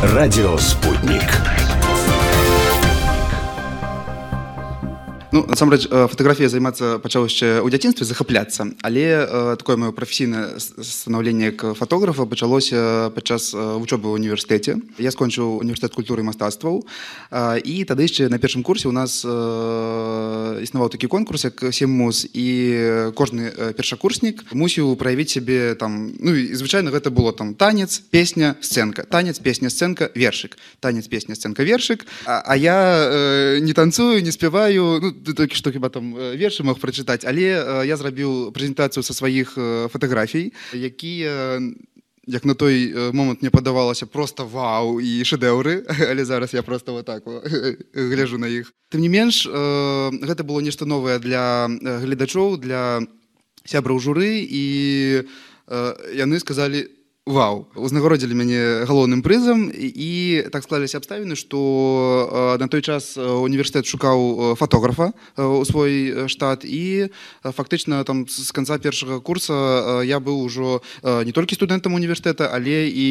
Радио «Спутник». Ну, насамрэч, фатаграфія займацца пачаў яшчэ ў дзяцінстве, захапляцца, але такое маё прафесійнае станаўленне як фатографа пачалося падчас вучобы ў універсітэце. Я скончыў універсітэт культуры і мастацтваў, і тады яшчэ на першым курсе у нас існаваў такі конкурс, як «Сем-муз», і кожны першакурснік мусіў праявіць сябе там, ну і звычайна гэта было там танец, песня, сцэнка, танец, песня, сцэнка, вершык, танец, песня, сцэнка, вершык, а я не танцую, не спяваю, ну, толькі што хіба там вершы мог прачытаць, але я зрабіў прэзентацыю са сваіх фатаграфій, якія, як на той момант мне падавалася, проста вау і шэдэўры, але зараз я проста вот так гляжу на іх. Тым не менш, гэта было нешта новае для гледачоў, для сябраў журы, і яны сказалі: вау, узнагародзілі мяне галоўным прызам, і так склаліся абставіны, што на той час універсітэт шукаў фотографа ў свой штат, і фактычна там з канца першага курса я быў ужо не толькі студэнтам універсітэта, але і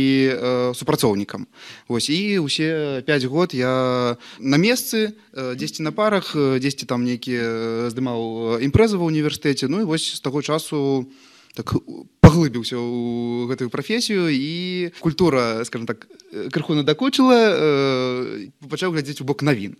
супрацоўнікам. Вось, і ўсе 5 год я на месцы, дзесьці на парах, дзесьці там нейкія здымаў імпрэзы ва ўніверсітэце, ну і вось з таго часу так паглыбіўся ў гэтую прафесію, і культура, скажем так, крыху надакучыла, пачаў глядзець у бок навін.